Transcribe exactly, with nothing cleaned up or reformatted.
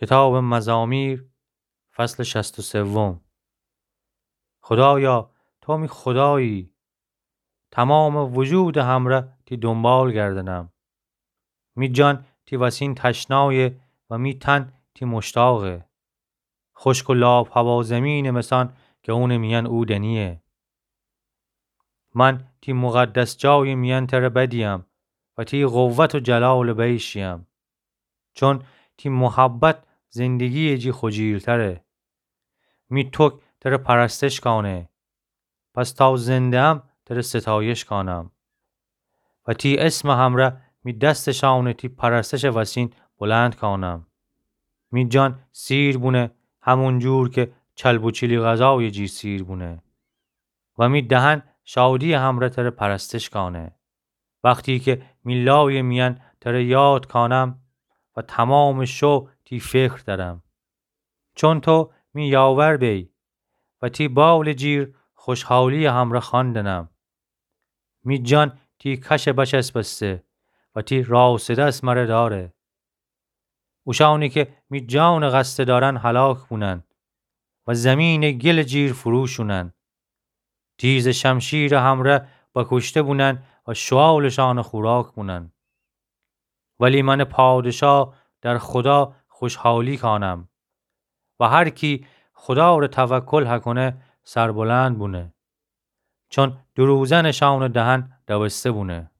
کتابٚ مزامیر، فصلٚ شصت و سوم. خودایا، تو می خودایی، تومامٚ وجودٚ همره تی دونبال گردنم. می جان تی وسین تشنایه و می تن تی مشتاقه. خوشک و لاپ‌هوا زمینٚ مسان گونٚ میأن اودنیه. من تی مقدس جایٚ میأن تره بدیم و تی قوت و جلالٚ بی شیم. چون تی محبت زندگییٚ جی خوجیلتره. می توک تره پرستش کانه. پس تا زنده‌ام تره ستایش کانم و تی اسمٚ همره می دستٚ شانه تی پرستشٚ وسین بلند کانم. می جان سیر بونه، همون جور که چلب و چلی غذایٚ جی سیر بونه و می دهن شادییٚ همره تره پرستش کانه. وختی که می لایٚ میأن تره یاد کانم و تومامٚ شو تی فکر درم. چون تو می یاور بی و تی باولٚ جیر خوشحالییٚ همره خواندنم. می جان تی کشه بچسبسته و تی راسٚ دس مره داره. اوشانی که می جانٚ قصد دارن هلاک بونن و زمینٚ گلٚ جیر فرو شونن. تیزٚ شمشیرٚ همره بکوشته بونن و شوالٚ شانٚ خوراک بونن. ولی منٚ پادشا در خودا خوشحالی کانم و هر کی خودا ره توکل هکونه سربلند بونه. چون دروزنٚ شانٚ دهن دوسته بونه.